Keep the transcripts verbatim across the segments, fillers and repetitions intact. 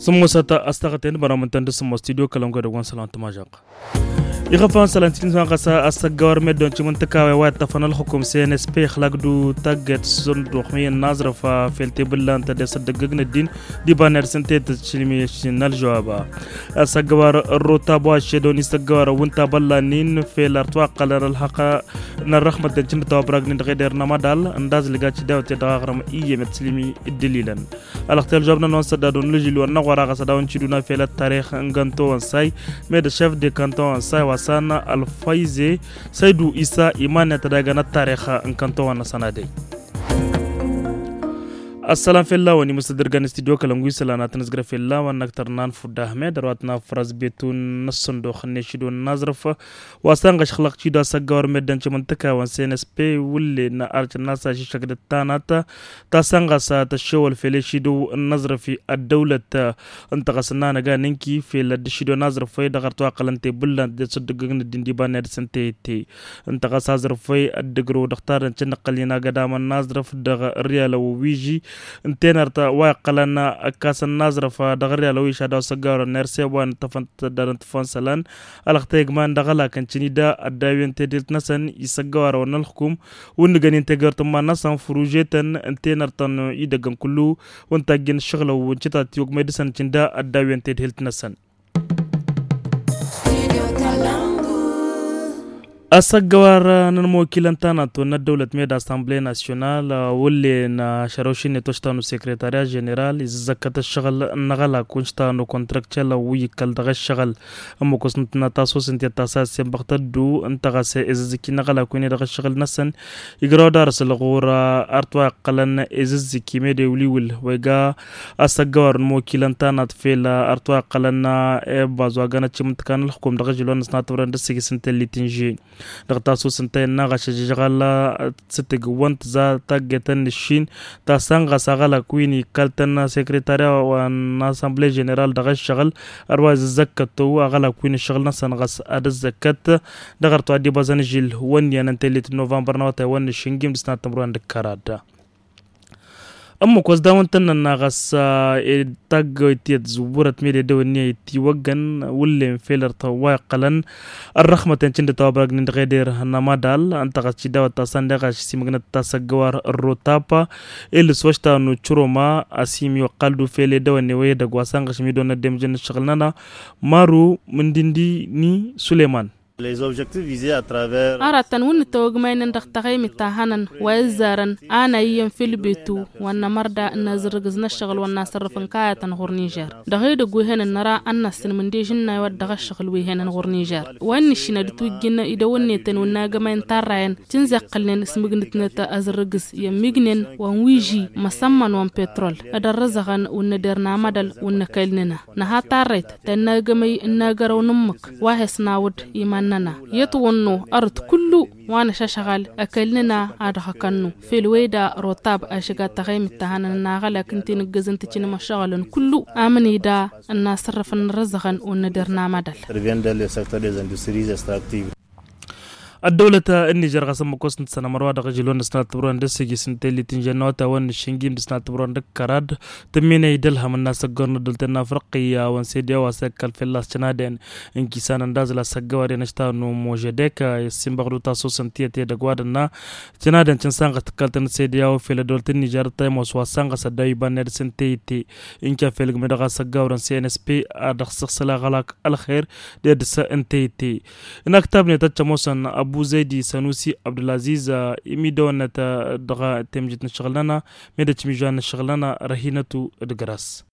Sǝmmosăt a-s taɣăten bărămǝntăn d-sǝmmos studio kălăngoy dăgg-wăn sălan tǝmažăɣ. Iɣăfan sălan tǝjǝn s-anɣăs a-s ăggawar meddon cimǝntǝkawe wa iṭṭăfăn ălxukum cns pe ixlaq d-taggayt s-sănduxmi n-aẓrǝf fel tebǝllant d-esăddăggăg n-ăddin d-ibanner s-ǝnta i-tǝšlǝmi ăššin n-ălžăwab. A-s ăggawar ărrota bu ašedon isăggawar ăwwǝnta bălla-nin fel ar twaqqălăn ălxăqq n-ărrăxmăt dăncǝn d-tawăbragnin dăɣ-eder n-amădal ǝndazlǝga cidawăt i-dăɣ aɣrǝm iyyem i-tǝslǝmi d-dălilăn. Ălxtel žobnăn wa n-săddadon n-lǝžil wa n-năɣwăra ɣas ad-awăn ciduna fel ăttarix n-gănto wa n-say med ăššef de kanto wa n-say wa s-an ălfăyze săydu isa iman-net ad-agăn ăttarix n-kanto wa n-năsăn adăy. Ăssălam fell-awăn imǝssădărgan studio kălăngu isălan ad-tăn-ǝzgrăf fell-awăn năktăr n-anfud ahmed ărwat n-afrăz betun n-ăssăndox n-ešido n-aẓrǝf wa s-anɣăš xlăɣ-t-id a-s ăggawăr meddǝn timǝntǝkawăn s-nsp wǝllen arcǝnna s-ašǝššăk d-tanat ta s-anɣăs tăššewăl fel ešido n-aẓrǝf ăddăwlăt ǝnta ɣas ǝnna năga nǝnki fel ăddǝšido n-aẓrǝf-i dăɣ-ărtwaqqălăn tebǝllant d-asǝddǝggăg n-ăddin d-iba n-ad-săn teyǝtte ǝnta ɣas aẓrǝf-i ăddǝgrǝw dăɣ-tarrăn cǝnnăqqăl-in agădamăn n-aẓrǝf dăɣ-ăryalăw wiži ǝnta enărt wa iqqălăn ăkkasăn n-aẓrǝf dăɣ-ăryalăw iša d-a-wa s-ăggarăn n-erseb wa n-ǝttăfăn tăddadăn tǝffăn isălan ălxătăy ǝgman dăɣ-ălakăn cǝnida ăddawiyăn tedhelt-năsăn isăggăwarăwăn n-ălxǝkum wǝnnǝgăn-in tegert n-iman-năsăn făružetăn ǝnta enărt tăn-idăggăn kullu wǝntajjăn ǝššăɣǝlăw wǝncǝtat i-ogmăy dăɣ-săn cǝnda ăddawiyăn tedhelt-năsăn. Asăggăwar n-ănmokilăn tanat wănna ăddăwlăt med assemble national wǝllen ašărăwšin i-toštanu sekretariya ženeral izǝzzăkkăt ăššăɣǝl n-aɣălak wǝncǝtanu kontrăkcel wi ikkal dăɣ-ăššăɣǝl ămmăkosnăt n-atasos ǝnta i-tasa s-inbăɣ tăddu ǝnta ɣas izǝzzǝki n-aɣălak wi n-e dăɣ-ăššăɣǝl-năsăn igrăw d-arǝsǝl ɣur-arăt wa iqqălăn izǝzzǝki med ewliwǝl wa iga asăggăwar n-imokilăn tanat fel arăt wa iqqălăn i-ăbbaẓ wa găn ăčimǝntǝka n-ălxǝkum dăɣ-ažǝl wa n-năsnatăbrăn d-ǝssǝgǝs n-tellit n-žen dăɣ-tasus ǝnta innă ɣašăžžăɣal s-tǝgg wăn tǝza taggayt n-ǝššin ta s-anɣas aɣălak wi n-ikkaltăn sekretariya wa n-assemble ženeral dăɣ-ǝššăɣǝl ărwa izǝzzăkkăt-o aɣălak wi n-ǝššăɣǝl-năsăn ɣas ad-ǝzzăkkăt dăɣ-arăt wa dd-ibăẓăn ažǝl wăn iyyăn n-tellit n-novămbăr n-awătay wa n-ǝššin gimdǝs n-ad-tǝmrǝwăn d-kăradd. Ămmăk wa s-dawăn-tăn-nănna ɣas taggăwt i-ăzzǝwwǝrăt mede dăw-ǝnni a ittiwăggăn wǝllen fel ărtăwwa iqqălăn ărrăxmăten cǝndăt a-wa băragnen dăɣ-eder n-amădal ǝnta ɣas cidawăt ta s-ăndeɣ ašǝsimǝgnăt tasăggăwar ărrotapa ilǝs wa ǝštanu cǝroma asim iwăqqal du fel edăwănne wa edăgg wa s-anɣăšăm idăwănne ăddemjăn n-ǝššăɣǝl-nănăɣ maru mǝndindi n-suleyman. Aratăn wǝnnǝt tawăgmaynen dăɣ-taɣaymit ta hănăn wa izzarăn ana iyyăn fel betu wa n-nămărda n-azǝrrǝgǝz n-ăššăɣǝl wa n-asărrǝf n-kayătăn ɣur-nižer dăɣ-edăgg wi hănăn năra ănnăssǝn mǝndežǝnnay wa dd-dăɣ-ăššăɣǝl wi hănăn ɣur-nižer wa n-nǝššin ad-ǝtwǝjjǝn idăwănnetăn wa n-agămay n-tarrayăn tǝnza iqqălnen s-mǝgnǝtnăt azǝrrǝgǝz i-ămmignen wa n-wiži măsămmăn wa n-petrol d-ărrăzăɣăn wǝnnăder n-amădăl wǝnnăkăyl-nănăɣ nǝha tarrayt ta n-agămăy n-agărăw n-ǝmmǝk wa he-s nawǝd iman-nănăɣ i-ătwănnu ărăt kullu wa n-ašăšăɣal ăkăyl-nănăɣ a dăɣ-hăkănnu fel wăyda rotab ašăg ad-tăɣaymǝt ta hănăn n-aɣălak ǝnta i-nǝggăzăn tǝcǝnăm ăššăɣǝlăn kullu amǝnida n-asărrăf n-arrăzăɣăn wǝnnăder n-amădăl. Ăddăwlăt n-nižer ɣas ămmăkos n-tăsănămăr wa dăɣ-ažǝl wa n-dăɣ-săn ad-tǝbrăwăn d-ăssijǝs n-tellit n-žănna wa tawăn n-aššǝnjim dăɣ-săn ad-tǝbrăwăn d-kărad tǝmminăy d-ălhăm n-asăggor n-ăddăwlăt n-afriqi a-wăn sediya wa s-ăkkal fălla-s cănadăn ǝnkis a-năn d-azǝl asăggăwăr i-năštan n-ummožădek i-ăssimbăɣ d-utasos n-tiyyăt i-edăgg wa dănna cănadăn cǝnsanɣăs tǝkkaltăn d-sediya wa fel ăddăwlăt n-nižer tăymos wa s-anɣăs ăddaw iba n-ed s-n teyǝtte ǝnca fel gǝme dăɣ-asăggawăr n-cnsp ad-dăɣ-sǝɣsǝl aɣălak ălxer d-ed s-n teyǝtte. Inaktab-net ad-t-ămoosăn ăbu zăydi sănusi abdulaziz imidăwănnăt dăɣ-temjit n-ǝššăɣǝl-nănăɣ med ăčmižan n-ǝššăɣǝl-nănăɣ răhinătu d-gras.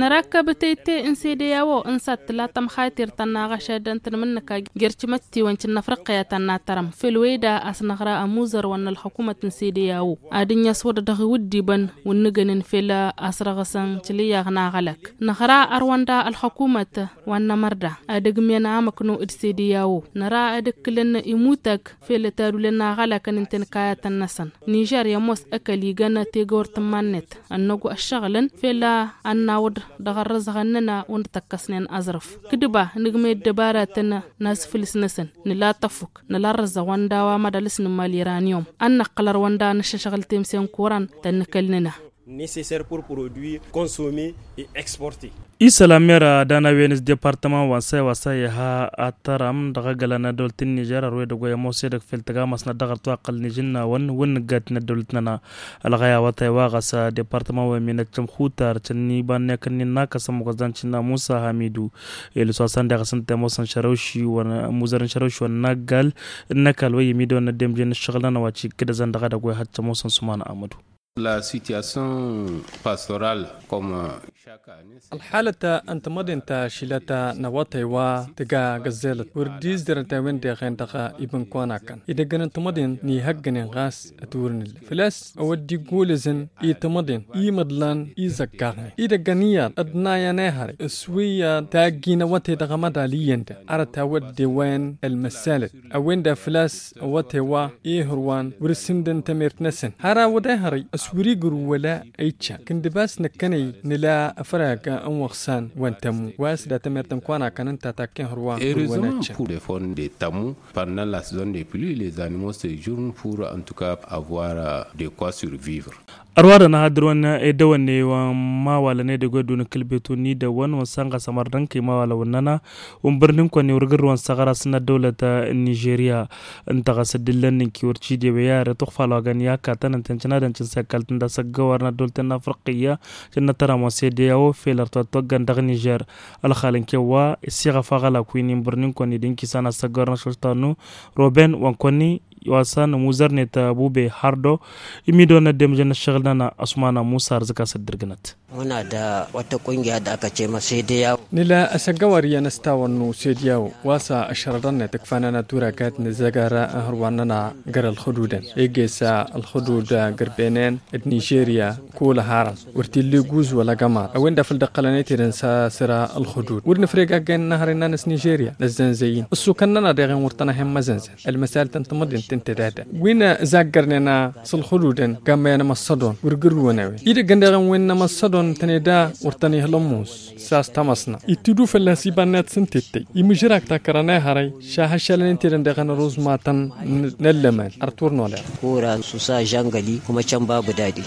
Nărakkăb teyǝtte n-sede i-a-wo ǝnsa d-tǝla tămxaytirt ta n-aɣăšad n-tǝnmǝnnǝka jer-timăttiwăn ti n-afriqya ta n-atărăm fel wăyda a-s năɣra ămuzărwăn n-ălxukumăt n-sede i-a-wo ad-ǝnni a-s wăr dăɣ-iwǝddibăn wǝnnǝgănen fel a-s răɣăsăn tilǝyyaɣ n-aɣălăk năɣra ărwăn da ălxukumăt wa n-nămărda ad-ăgmiyăn amăkno d-sede i-a-wo năra ad-ǝkkǝlăn imutăk fel tadulăn n-aɣălăkăn ǝnta-en kayătăn-năsăn nižer i-ămoos ăkall igăn tegăwărt n-iman-net ănnăgu ăššăɣǝlăn fel a ănnawăḍ dăɣ-ărrăzăɣăn-nănăɣ wăr tăkkăsnen aẓrǝf kǝdba nǝgmăy ăddăbaratăn n-asfǝlǝs-năsăn nǝla tăfuk nǝla ărrăzăɣ wa n-daw-amăḍal s-nǝmmal iraniyum ănnăqqăl ărwăn da nǝššăšɣǝl temse n-kuran tăn-nǝkăl-nănăɣ. Necessaire pour produire, consommer et exporter. Isălan meră dana wen s-departăman wa n-săy wa s-a iha ad-tăram dăɣ-agăla n-adăwăl tǝnnižer ărwedăgg wa i-ămoos edăgg fel tăgamasnăt dăɣ-ărtwaqqăl n-ižǝnnawăn wǝnnǝggat n-ăddăwlăt-nănăɣ. Ălɣăy a-wa tăy wa ɣas departăman wa iminăt cămxutar cănni iba n-ekăn n-innă a kăsăm măgozdan cǝnna musa hamidu. Elǝs wa s-ăndeɣ a-s ǝnta i-ămoosăn šărăwši wa n-muzăr n-šărăwši wa n-aggal n-ăkall wa i-imidăwăn n-ăddemje n-ǝššăɣǝl-nănăɣ wa cikǝdăzăn dăɣ-edăgg wa ihăt cămoosăn s-uman ămădu. La situation pastorală comme chaque année. Ălxalăt n-tamăḍint ta šilăt n-awătay wa tǝga găzzălăt wăr dd-izdărăt a-wen deɣen dăɣ-ibǝnkăwăn-akăn idăggăn n-tamăḍint n-ihăggănen ɣas ătwăr n-ǝllăf făl-a-s ăwăddi gulǝzăn i-tamăḍint i-imǝḍlan izăggaɣnen idăggăn iyyăḍ ăḍnayăn ehăre s-wi taggi n-awătay dăɣ-amăḍal iyyăn da arăt a-wădden wa n-ălmăssalăt a-wen-dăɣ făl-a-s awătay wa ihărwan wăr-ǝssǝndăn tamert-năsăn har a-wădden ehăre s-wăr-igru wăla ăycăn kǝndǝb a-s năkkănăy nǝla afrag n-wăɣsan wa n-tămmu wa s-da tamert n-kăwăn-akăn ǝnta takken hărwa. Heureusement pour les formes de tămmu pendant la saison des pluies les animaux séjournent pour en tout cas avoir de quoi survivre. Ărwadăn ad-dăr-wăn edăwănne wa n-imawalăn edăgg wa dd-unǝkkǝl betu n-idăwăn wa n-sănɣăs ămărdănkăy imawalăn wănnăna. Unbărnin kăwăn-iwrǝgǝr wa n-săɣra s-năddăwlăt n-nižerya ǝnta ɣas dd-illăn n-inki wăr cidewăy are tuɣfal wa găn i-akatăn ǝnta n-cǝnadăn cǝnsăkkalt n-dasăggăwar n-ăddăwlăt n-afriqiyya. Cǝnnăt tăram wa n-sedeyawo fel ărtwat toggăn dăɣ-nižer ălxal n-kewwa. Siɣăf aɣălak wi n-inbărnin kăwăn-idǝnki s-anăssăggăwar n-ašăltanu roben wa n-kăwăn-i wa s-anămuzărnet bube hardo. Imidăwăn n-ăddemjăn n-ăššăɣǝl-nănăɣ ăsmana musa ărzǝk-as dd-irgǝnăt. Muna da wata kungiya da aka ce ma sedeyawo. Nǝla asăggăwar iyyăn s-tawănnu sedeyawo wa s-ašrădăn-net ǝkfanăn ad-tura kat nǝzzăgar n-hărwan-nănăɣ găr-ălxududăn egesa ălxudud găr-benen d-nižerya. Kul ăharăn wăr t-illa iguz wăla gămar a-wen-dăɣ făl dd-ăqqălăn i-tidăn s-asǝra ălxudud wăr nǝfreg agg-en n-ahăre n-anăs nižerya năzzănzăy-in ǝssukăn-nănăɣ deɣ-en wăr tăn-ahen măzănzăn. Ălmăsalăt n-tamăḍint ǝnta d-ad-dăɣ wi n-zaggărnen s-ălxududăn gammăyăn ămăssădon wăr gǝrrǝwăn a-wen idăggăn deɣ-en wen n-ămăssădon tăn-eda wăr tăn-ihǝl ămmus. S-a-s tamăsna ittidu fălla-s iba-net s-ǝnta ittăy imǝžrak takărăn ehărăy šahăššalăn ǝnta edăn deɣ ănăruz matăn n-ăllăman. Artur n-oleɣ. Kura susa žăngăli kuma cănba bǝdadi.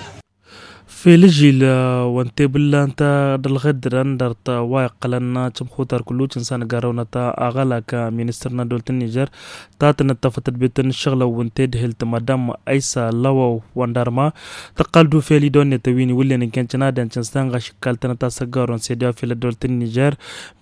Fel ǝžil wa n-tebǝllant d-ălɣǝddǝrăn dăr-t wa iqqălăn cǝmxutar kullu cǝnsan garăwnăt aɣălak ministăr n-ăddăwlăt n-nižer. Tatănăt tafătăt betăn n-ašăɣlăw n-tedhelt madam ăysa lăwăw wa n-darma tăqqal-dd ufel idonnet ăwin iwǝllen ǝnken cănadăn cǝnsan ɣaš ǝkkaltănăt asăggarun sediya fel ăddăwlăt n-nižer.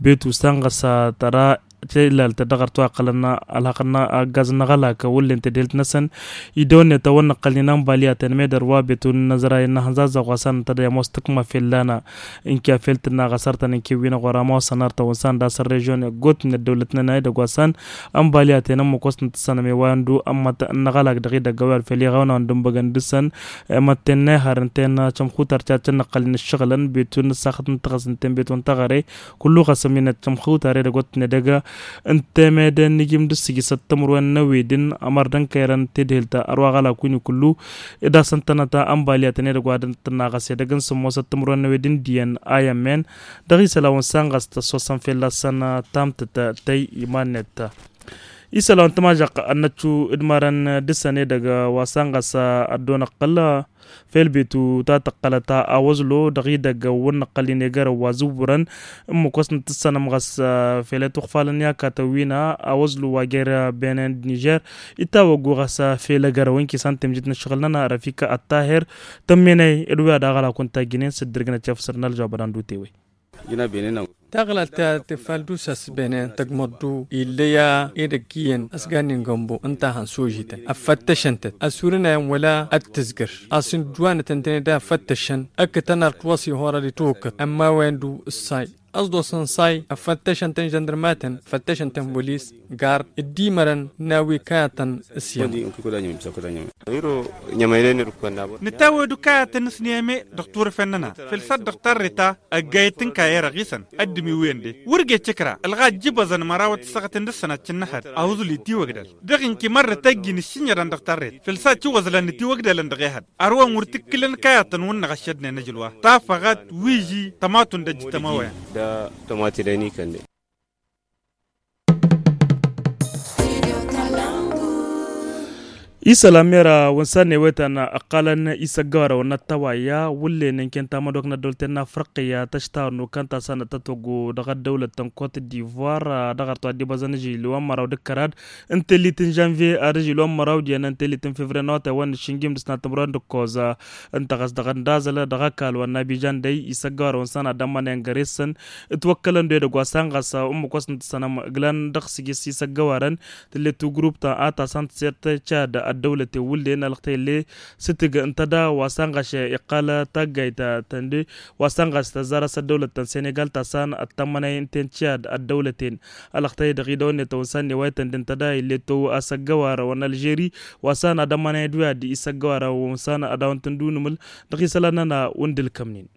Betu s-anɣăs tăra tǝlalt dăɣ-ărtwa ăqqălăn ălhăqq n-aggaz n-aɣălak wǝllen tedhelt-năsăn. Idonnet a-wa n-nǝqqălnen ănbalyaten medăr wa betu n-inăzray n-ahănzazăɣ wa s-anăt ad-ămoos tǝkma fel lana. Ǝnke a fel tǝnna ɣas artăn ǝnke wi n-aɣora ămoosăn artăn wǝnsan d-asăn režion egot n-ăddăwlăt-nănăɣ edăgg wa s-an ănbalyat-en ămmăkosnăt tǝssănăm i-wa ăndu ămmăt n-aɣălak dăɣ-idăgg a-wa fel iɣawna wa n-dămbăgăn dăr-săn. Mătten n-ehăr ǝnta-en cămxutar caccăn năqqălnen ǝššăɣǝlăn betu n-ǝssaxăt n-taɣăs ǝnta-en betu n-taɣăre. Kullu ɣas ămminăt cămxutar edăgg wa t-nedăgg ǝnta emedăn n-ijǝm d-ǝssǝjǝsăt timǝrwen n-ewedǝn ămărdăn kăyrăn tedhelt ărwa aɣălak win-i kullu. Ed asăn tănăt ănbalyatăn edăgg wa dăɣ-tǝnna ɣas edăgg n-sǝmmosăt timǝrwen n-ewedǝn d-iyyăn a i-ămmen. Dăɣ-isălan wa n-săn ɣas tăssosăn fell'-asăn tamtǝt tăy iman-net. Isălan wa n-tămažăɣt ănnăccu d-mărăn dăr-săn edăgg wa s-anɣăs ăddoon ăqqăl fel betu ta tăqqălăt a wăzlo dăɣ-idăgg wăr nǝqqăl-in egărăw wa zǝwwărăn. Ǝmmǝk wa s-nǝtǝssănăm ɣas fel i-tuɣfalăn i-akatăn wi n-a wăzlo wa jer-benen d-nižer. Itawăggu ɣas fel egărăw ǝnki s-an temjit n-ǝššăɣǝl-nănăɣ rafika ăṭṭahir. Tămmenăy ed wi ad-aɣălak wăn tajjǝnen s-dd-irgǝnăt i-afǝsăr n-ălžawăb ad-andu tewăy. Taɣlalt ta tǝffal d-usas benen tăgmăḍ-du ill'-e-ya edăgg iyyăn ăsgannen gănbo ǝnta a hăn sojităn ăffăttăšăn-tăt ăsurǝnayăn wăla ăttǝzgăr. A-s ǝndǝwanăt ǝntăne da ăffăttăšăn ǝkkǝtăn ar t-wăs-ihorăd itwǝkkǝḍ ămmawen-du ǝssay. Ăẓḍosăn say ăffăttăšăn-tăn žăndărmatăn ăffăttăšăn-tăn bolis gard dd-imărăn n-a-wa ikayătăn s-yăma. Nǝtawăd ukayătăn s-niyăme dăɣ-turǝfen-nănăɣ făl s-ad-dăɣ tarreta ăggayăt tǝnkayăy răɣisăn. Ăddǝm-iwǝyăn de wăr găy cǝkra ălɣa ăjjǝbăẓăn mărawăt ǝssăɣăt n-dăr-săn ad-cǝnnăhăd. Ahuzǝl itiwăgdăl dăɣ-inki mărrăt ăjjǝn ǝššǝñădăn dăɣ-tarret făl s-ad-tiwăẓlăn itiwăgdălăn dăɣ-ehăd. Ărwa n-wăr tǝkkǝlăn kayătăn wǝnnăɣ ăššădnen ăjǝlwa tafăɣat wi iji tămatu n-dăjjǝt ămawăyăn. Isălan mera wǝnsan n-ewetăn ăqqalăn isăggăwarăwăn n-ăttăwayya wǝllen ǝnken tamădok n-ăddăwlăten n-afriqya tăštawăr n-okăn ta săn ăttătwăggo dăɣ-ăddăwlăt ta n-kot divoir dăɣ-artu ad-dd-ibăẓăn ažil wa n-măraw d-ǝkkărad n-tellit n-žănvye ad-ažil wa n-măraw d-iyyăn n-tellit n-fevriye n-awătay wa n-išǝnjim dăɣ-s n-ad-tǝmrăwăn d-ǝkkoẓ. Ǝnta ɣas dăɣ-ăndazăl dăɣ-ăkall wa n-abižan dăy isăggăwarăwăn săn ad-ămmănăyăn găre-săn ǝtwăkkălăn d-edăgg wa san ɣas ǝmmǝk wa s-nǝtǝssănăm ǝglăn dăɣ-sǝjǝs isăggăwarăn. Tǝllet tugruptăn a ta san tǝsert cad ăddăwlăten wǝllen ălxtăyălle s-tǝg ǝnta da wa san ɣas iqqal taggayt tănde wa san ɣas tăzzar a-s ăddăwlăt ta n-senegal ta san ăttămmănăy ǝnta n-cad ăddăwlăten. Ălxtăy dăɣ-idăwănnet wa n-san n-ewaytăn d-ǝnta da ill'-e tăww asăggăwar wa n-ălžeri wa san ad-ămmănăy d-wi ad-isăggăwar wa n-san ad-dawăn-tǝndunǝmǝl dăɣ-isălan-nănăɣ wǝndǝl kămnin.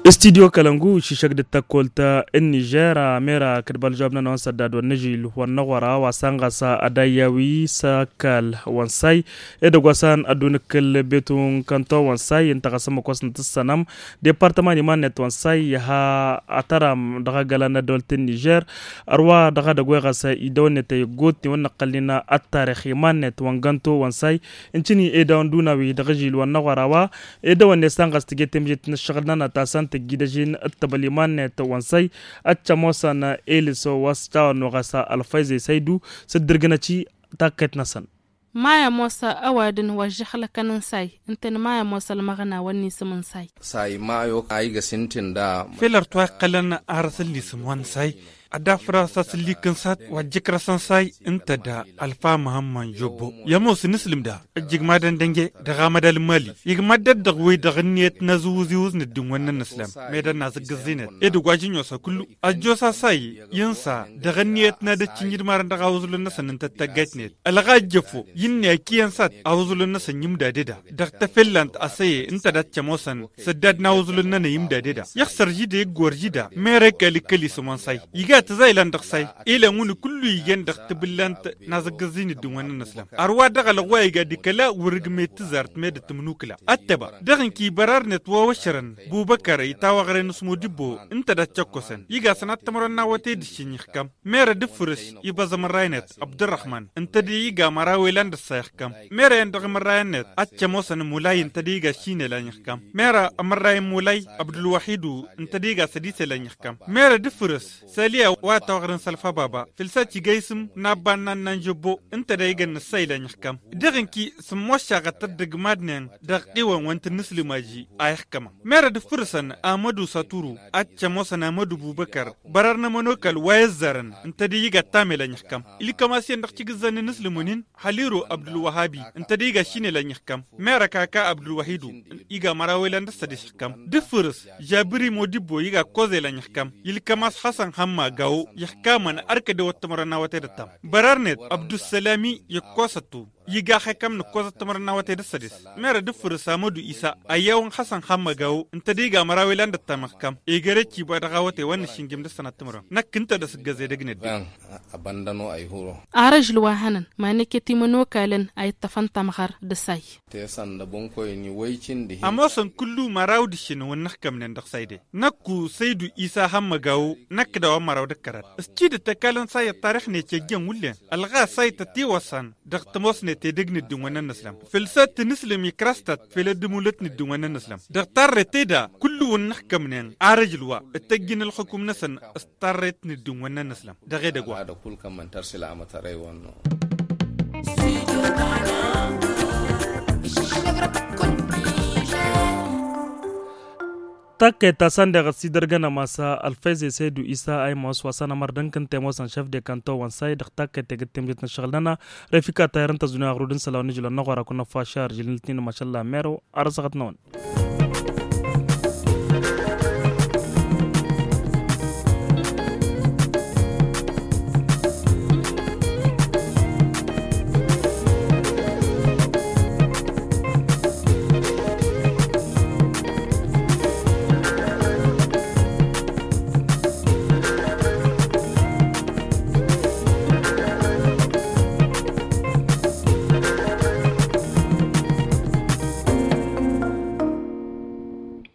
Studyo kălăngu iššǝššăk d-tăkkolt n-nižer. Mera kădbal žoab-nănăɣ wa n-săddad wa n-năžil wa n-năɣora wa san ɣas ad-ayyawi s-ăkall wa n-say edăgg wa san ăddu nǝkkǝl betu n-kănto wa n-say ǝnta ɣas ǝmmǝk wa s-nǝtǝssănăm departăman iman-net wa n-say iha atăram dăɣ-agălan n-ăddăwălt n-nižer. Ărwa dăɣ-edăgg wa ɣas idăwănnet ăyy ăggootnen wa n-năqqălnen ăttarix iman-net wa n-gănto wa n-say. Ǝncǝni edăwăn d-unawi dăɣ-ažil wa n-năɣora wa edăwănnet san ɣas tǝjed temjet n-ǝššăɣǝl-nănăɣ ta san tǝjjǝd ažin ǝṭṭăbăl iman-net wa n-say. Ad-t-ămoosăn elǝso wa s-tawănnu ɣas ălfayze saydu s-dd-ǝrgǝnăt i-takkăyt-năsăn. Maya ămoos ăwadǝn wa ǝžžăxlăkăn n-say ǝntăn maya ămoos ălmăɣna wa n-isǝm n-say. Say mayo a igăs ǝntin da. Fel ărtu a iqqălăn arăsăn n-isǝm wa n-say ad-dd-afrăɣ s-asǝllik n-sat wa ǝjjǝkrăsăn say ǝnta da. Ălfa măhămmăn jobbo i-ămoos n-islǝm da ǝjjǝgmadăn dănge dăɣ-amădal n-mali. Igmad-dd dăɣ-wi-dăɣ ǝnniyăt n-azǝwǝzǝwǝz n-ǝddǝn-wăn-nănăslam meddǝn n-azǝggǝẓẓinăt. Ed ǝgg wa ǝjǝnnos a kullu ăjjoos a say i-insa dăɣ-ǝnniyăt n-ad-ăččǝn idmarăn dăɣ-awǝẓǝlăn-năsăn ǝnta d-taggayt-net. Ălɣa ăjjăfo i-ǝnni a ǝkkiyyăn sat awǝẓǝlăn-năsăn imdaded-a dăɣ-tafellănt a săye ǝnta dat-t-ămoosăn săddad n-awǝẓǝlăn-nănăy imdaded-a. Iɣsăr žida iggor žida mera ikal ikkăl isǝm wa n-say iga tǝza ilan dăɣ-say. Ilăn wǝnni kullu ijen dăɣ-tibǝllant n-azǝggǝẓẓin ǝddǝn-wăn-nănăslam. Ărwa dăɣ-alăɣ wa iga d-ikăla wăr-ǝgmet tǝzart meddǝn tǝmnukǝla ăttăba dăɣ-inki bărarnet wa wăššărăn bubăkăr i-tawaɣre n-asmudibbo ǝnta dat-t-ăkkosăn iga săn ad-t-ămrăwăn n-awătay d-ǝššǝnj ixkam. Mera d-ǝffǝrǝs iba ăẓmărray-net abdărrăxman ǝnta d-iga măraw ilan d-ăssa ixkam. Mera-en dăɣ-imărray-net ad-t-ămoosăn mulay ǝnta d-iga ǝššin elan ixkam. Mera ămărray n-mulay abdulwahidu ǝnta d-iga sădis elan ixkam. Mera d-ǝffǝrǝs saliya wa tawaɣren s-ălfa baba făl s-ad-tiga isǝm n-abba n-annan jobbo ǝnta da iga n-ǝssa ilan ixkam. Dăɣ-inki s-ămmoššaɣăt ăddăgg madnen dăɣ-iwăn wa n-tǝnnǝslǝm aži a ixkămăn. Mera d-ǝffǝrǝsăn amădu saturu ad-t-ămoosăn amădu bubăkăr bărăr n-ămănokal wa i-ăzzarăn ǝnta d-iga ăttam elan ixkam. Ilkăm-as iyyăn dăɣ-tigǝzzan n-inǝslǝm-wi-nin haliru abdulwăhabi ǝnta d-iga ǝššin elan ixkam. Mera kaka abdulwahidu iga măraw elan d-ăssăd išǝxkam. D-ǝffǝrǝs žabiri modibbo iga ăkkoẓ elan ixkam. Ilkăm-as xasăn hamma gawo ixkamăn ărkăd ewăt timărăn n-awătay d-ăttam. Bărarnet abdussalami i-ăkkoẓăt-tu iga xekăm n-ǝkkoẓăt timărăn n-awătay d-ăssădes. Mera d-ǝffǝrǝs amădu isa ăyyawăn xasăn hamma gawo ǝnta d-iga măraw elan d-ăttam ixkam. Egăre-t iba dăɣ-awătay wa n-išǝnjǝm d-ăssănat timărăn năkk ǝnta d-asǝggăz edăgg n-ăddin. Abăndăno ăyhuro. Arăžl wa hănăn ma neket imănokalăn a ittăfăn tamɣăr d-asay. Tesăn d-abǝnkoyni wăycin dihin. Ămoosăn kullu măraw d-ǝššǝnǝwăn n-ixkămnen dăɣ-sayde. Năkku săydu isa hămmăgawo năkk d-a-wa n-măraw d-ăkkărăt. S-tidǝt ăkall n-say ăṭṭarix-net i-ăjjăn wǝllen ălɣas a itătiwăsăn dăɣ-tămoosnet edăgg n-ǝddǝn-wăn n-ănnăslăm. Făll-săt tǝnǝslǝm ikrăs-tăt fel ăddǝmulăt n-ǝddǝn-wăn n-ănnăslăm dăɣ-tarret-e-da. Kullu-wăn n-ixkămnen arăžl wa ǝttăjjǝn ălxukum-năsăn s-tarret n-ǝddǝn-wăn n-ănnăslăm. Dăɣ-edăgg wa. Takkăyt ta săn deɣ ăsidărgăn ămasa ălfăyze săydu isa a imos wa săn ămărdăn kǝnta i-ămoosăn šăf de kanto wa n-say dăɣ-takkăyt tegǝt temjet n-ăššăɣǝl-nănăɣ. Refika tayăr n-tăzdunya ăɣrud n-isălan wa n-ijǝlăn n-aɣora kunăffa šar jǝl n-ǝltnin mašalla mero. Arăsăɣăt-năwăn.